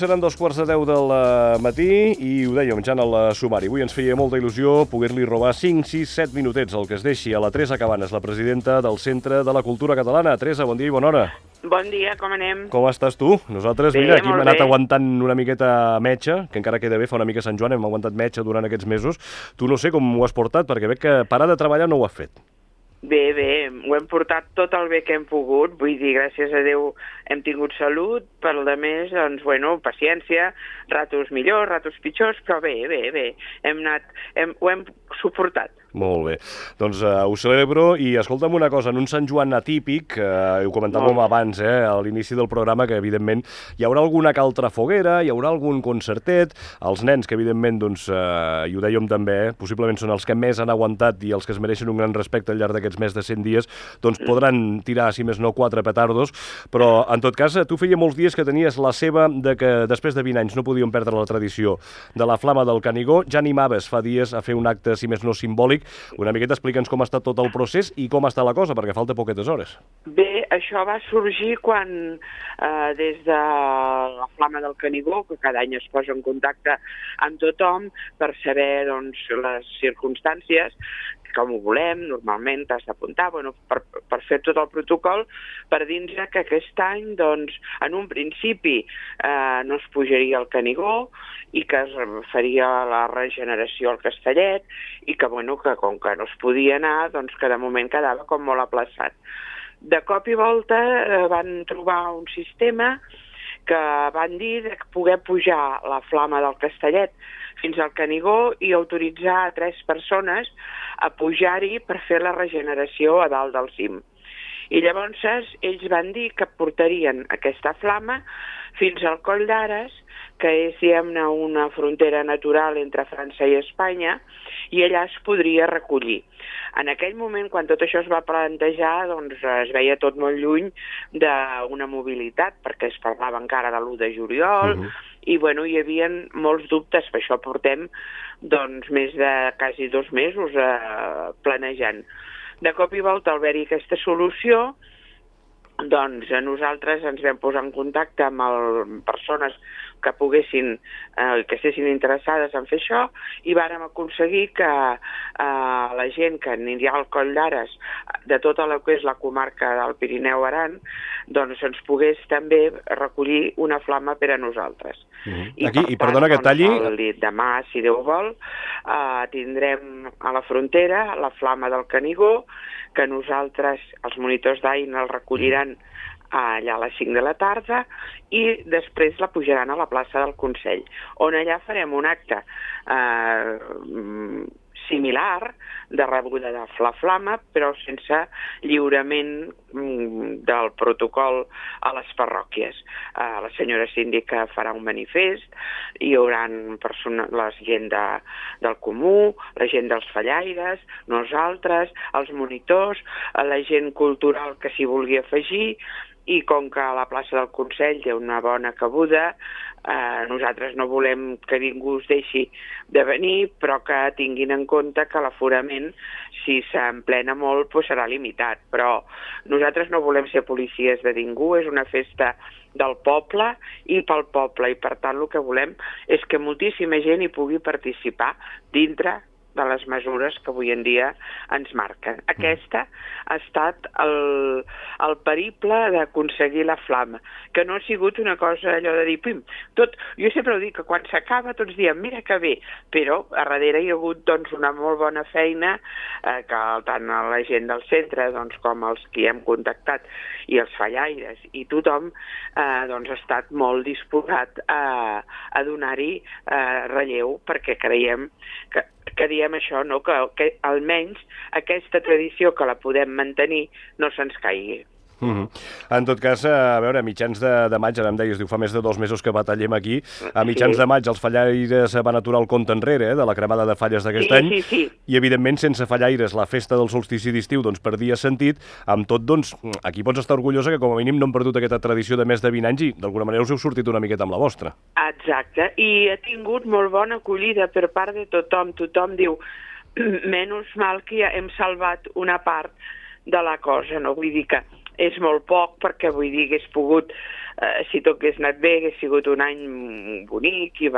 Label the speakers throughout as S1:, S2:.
S1: seran 2:15 del matí i ho dèiem ja en el sumari. Avui ens feia molta il·lusió poder-li robar 5, 6, 7 minutets, el que es deixi, a la Teresa Cabanes, la presidenta del Centre de la Cultura Catalana. Teresa, bon dia i bona hora.
S2: Bon dia, com anem?
S1: Com estàs tu? Nosaltres,
S2: bé,
S1: mira, aquí hem anat
S2: bé.
S1: aguantant una miqueta metxa, que encara queda bé, fa una mica Sant Joan, hem aguantat metxa durant aquests mesos. Tu no sé com ho has portat, perquè veig que parar de treballar no ho has fet.
S2: Bé, ho hem portat tot el bé que hem pogut, vull dir, gràcies a Déu hem tingut salut, per el de més, doncs, bueno, paciència, ratos millors, ratos pitjors, però bé, ho hem suportat.
S1: Molt bé. Doncs ho celebro i escolta'm una cosa, en un Sant Joan atípic, ho comentàvem abans, a l'inici del programa, que evidentment hi haurà alguna que altra foguera, hi haurà algun concertet, els nens que evidentment, doncs, i ho dèiem també, possiblement són els que més han aguantat i els que es mereixen un gran respecte al llarg d'aquests més de 100 dies, doncs podran tirar, si més no, 4 petardos, però en tot cas, tu feia molts dies que tenies la seva de que després de 20 anys no podíem perdre la tradició de la Flama del Canigó, ja animaves fa dies a fer un acte, si més no, simbòlic. Una miqueta explica'ns com ha estat tot el procés i com està la cosa, perquè falta poquetes hores.
S2: Bé, això va sorgir quan des de la Flama del Canigó, que cada any es posa en contacte amb tothom per saber, doncs, les circumstàncies, com ho volem, normalment t'has d'apuntar, bueno, per fer tot el protocol, per dir-nos que aquest any, doncs, en un principi no es pujaria al Canigó i que es faria la regeneració al Castellet i que, bueno, que com que no es podia anar, doncs que de moment quedava com molt aplaçat. De cop i volta van trobar un sistema que van dir de poder pujar la Flama del Castellet fins al Canigó i autoritzar a 3 persones a pujar-hi per fer la regeneració a dalt del cim. I llavors ells van dir que portarien aquesta flama fins al Coll d'Ares, que és, diguem-ne, una frontera natural entre França i Espanya, i allà es podria recollir. En aquell moment, quan tot això es va plantejar, doncs es veia tot molt lluny d'una mobilitat, perquè es parlava encara de l'1 de juliol, i bueno, hi havia molts dubtes, per això portem doncs, més de quasi 2 mesos planejant. De cop i volta, al haver-hi aquesta solució, doncs nosaltres ens vam posar en contacte amb persones que poguessin, que estessin interessades en fer això, i vàrem aconseguir que la gent que anirà al Coll d'Ares de tota la que és la comarca del Pirineu-Aran, doncs ens pogués també recollir una flama per a nosaltres.
S1: I perdona que talli...
S2: Demà, si Déu vol, tindrem a la frontera la Flama del Canigó, que nosaltres, els monitors d'AIN, el recolliran allà a les 5 de la tarda i després la pujaran a la plaça del Consell, on allà farem un acte similar de rebuda de la flama, però sense lliurament del protocol a les parròquies. La senyora síndica farà un manifest, hi haurà la gent del Comú, la gent dels fallaires, nosaltres, els monitors, la gent cultural que s'hi vulgui afegir, i com que la plaça del Consell té una bona cabuda, nosaltres no volem que ningú es deixi de venir, però que tinguin en compte que l'aforament, si s'emplena molt, doncs serà limitat. Però nosaltres no volem ser policies de ningú, és una festa del poble i pel poble, i per tant el que volem és que moltíssima gent hi pugui participar dintre de les mesures que avui en dia ens marquen. Aquesta ha estat el periple d'aconseguir la flama, que no ha sigut una cosa allò de dir, pim, tot, jo sempre ho dic, que quan s'acaba tots diem, mira que bé, però a darrere hi ha hagut doncs, una molt bona feina que tant la gent del centre doncs, com els que hem contactat i els fallaires i tothom doncs, ha estat molt disposat a donar-hi relleu, perquè creiem que diem això, no? Que almenys aquesta tradició que la podem mantenir no se'ns caigui.
S1: En tot cas, a veure, a mitjans de maig, ara em deies, diu, fa més de 2 mesos que batallem aquí, a mitjans de maig els fallaires van aturar el compte enrere de la cremada de falles d'aquest any, i evidentment sense fallaires la festa del solstici d'estiu doncs perdia sentit, amb tot doncs aquí pots estar orgullosa que com a mínim no hem perdut aquesta tradició de més de 20 anys i d'alguna manera us heu sortit una miqueta amb la vostra.
S2: Exacte, i ha tingut molt bona acollida per part de tothom diu, menys mal que ja hem salvat una part de la cosa, no? Vull dir que és molt poc perquè vull dir que hagués pogut si tot hagués anat bé, hagués sigut un any bonic i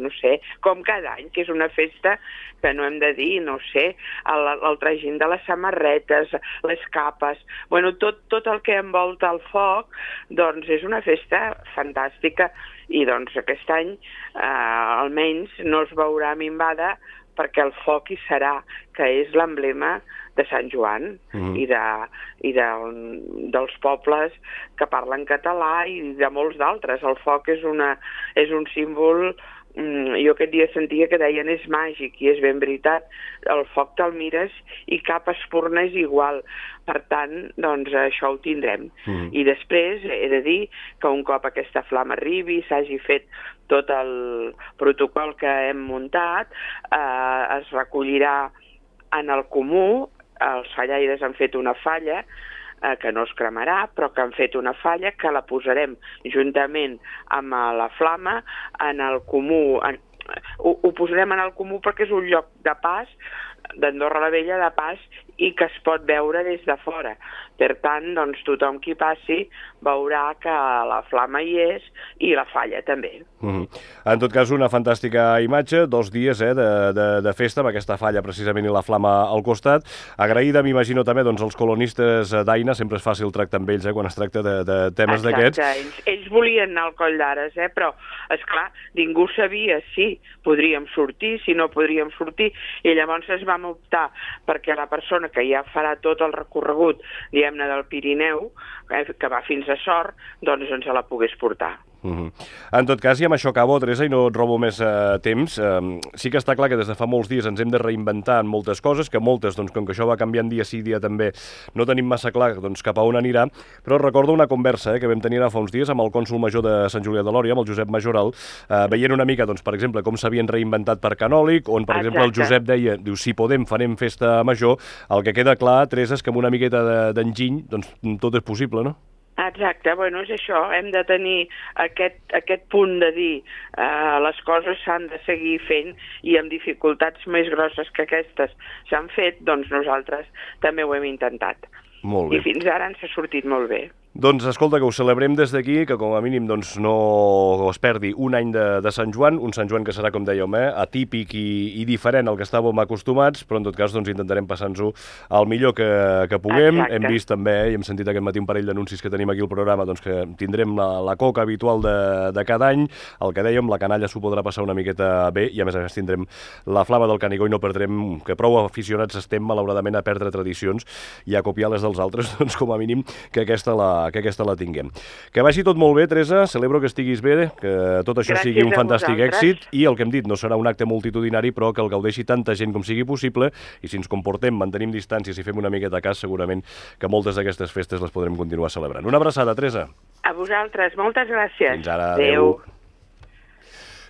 S2: no sé, com cada any, que és una festa que no hem de dir, no sé, el tragin de les samarretes, les capes, bueno, tot el que envolta el foc, doncs és una festa fantàstica i doncs aquest any almenys no es veurà minvada perquè el foc hi serà, que és l'emblema de Sant Joan dels pobles que parlen català i de molts d'altres. El foc és un símbol, jo aquest dia sentia que deien és màgic i és ben veritat. El foc te'l mires i cap espurna és igual. Per tant, doncs això ho tindrem. I després he de dir que un cop aquesta flama arribi, s'hagi fet tot el protocol que hem muntat, es recollirà en el comú. Els fallaires han fet una falla que no es cremarà, però que han fet una falla que la posarem juntament amb la flama en el comú. Ho posarem en el comú perquè és un lloc de pas, d'Andorra la Vella de pas, i que es pot veure des de fora. Per tant, doncs, tothom qui passi veurà que la flama hi és i la falla també.
S1: En tot cas, una fantàstica imatge, 2 dies de festa amb aquesta falla precisament i la flama al costat. Agraïda, m'imagino també, doncs, als colonistes d'Aina, sempre és fàcil tractar amb ells quan es tracta de temes d'aquests.
S2: Exacte, ells volien anar al Coll d'Ares, però, esclar, ningú sabia si podríem sortir, si no podríem sortir, i llavors vam optar perquè la persona que ja farà tot el recorregut, diguem-ne, del Pirineu, que va fins a Sort, doncs ens la pogués portar.
S1: En tot cas, i amb això acabo, Teresa, i no et robo més temps, sí que està clar que des de fa molts dies ens hem de reinventar en moltes coses, que moltes, doncs, com que això va canviant dia sí, dia també, no tenim massa clar doncs, cap a on anirà, però recordo una conversa que vam tenir fa uns dies amb el cònsol major de Sant Julià de Lòria, amb el Josep Majoral, veient una mica, doncs, per exemple, com s'havien reinventat per Canòlic, on, per exemple, el Josep deia, diu, si podem, farem festa major. El que queda clar, Teresa, és que amb una miqueta d'enginy, doncs, tot és possible, no?
S2: Exacte, bueno, és això, hem de tenir aquest punt de dir les coses s'han de seguir fent i amb dificultats més grosses que aquestes s'han fet, doncs nosaltres també ho hem intentat.
S1: Molt bé.
S2: I fins ara ens ha sortit molt bé.
S1: Doncs escolta, que ho celebrem des d'aquí, que com a mínim doncs, no es perdi un any de Sant Joan, un Sant Joan que serà, com dèiem, atípic i diferent al que estàvem acostumats, però en tot cas doncs, intentarem passar-nos-ho el millor que puguem. Exacte. Hem vist també, i hem sentit aquest matí un parell d'anuncis que tenim aquí al programa, doncs, que tindrem la coca habitual de cada any, el que dèiem, la canalla s'ho podrà passar una miqueta bé, i a més tindrem la flama del Canigó i no perdrem, que prou aficionats estem, malauradament, a perdre tradicions i a copiar les dels altres, doncs com a mínim que aquesta la tinguem. Que vagi tot molt bé, Teresa, celebro que estiguis bé, que tot això sigui un fantàstic èxit, i el que hem dit, no serà un acte multitudinari, però que el gaudeixi tanta gent com sigui possible, i si ens comportem, mantenim distàncies i fem una miqueta cas, segurament que moltes d'aquestes festes les podrem continuar celebrant. Una abraçada, Teresa.
S2: A vosaltres, moltes gràcies.
S1: Fins ara, adeu.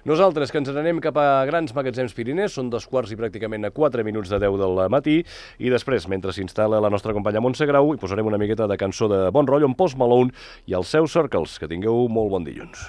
S1: Nosaltres, que ens n'anem cap a Grans Magatzems Pirinès, són 2 quarts i pràcticament a 4 minuts de 10 del matí, i després, mentre s'instal·la la nostra companya Montse Grau, hi posarem una miqueta de cançó de bon rotllo amb Post Malone i els seus Circles. Que tingueu molt bon dilluns.